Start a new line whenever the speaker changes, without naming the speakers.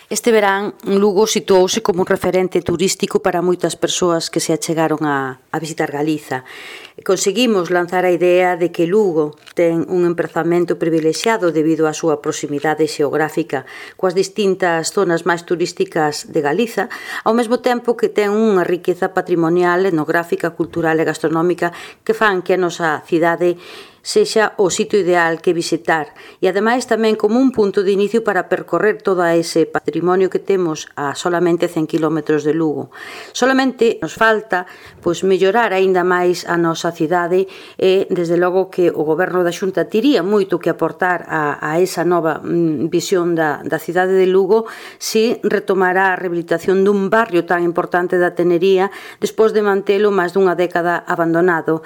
Este verán, Lugo situouse como un referente turístico para moitas persoas que se achegaron a visitar Galiza. Conseguimos lanzar a idea de que Lugo ten un emprazamento privilexiado debido á súa proximidade xeográfica coas distintas zonas máis turísticas de Galiza, ao mesmo tempo que ten unha riqueza patrimonial, etnográfica, cultural e gastronómica que fan que a nosa cidade sexa o sitio ideal que visitar e ademais tamén como un punto de inicio para percorrer todo ese patrimonio que temos a solamente 100 km de Lugo. Solamente nos falta mellorar aínda máis a nosa cidade e desde logo que o Goberno da Xunta tiría moito que aportar a esa nova visión da cidade de Lugo se retomara a rehabilitación dun barrio tan importante da Tenería despois de mantelo máis dunha década abandonado.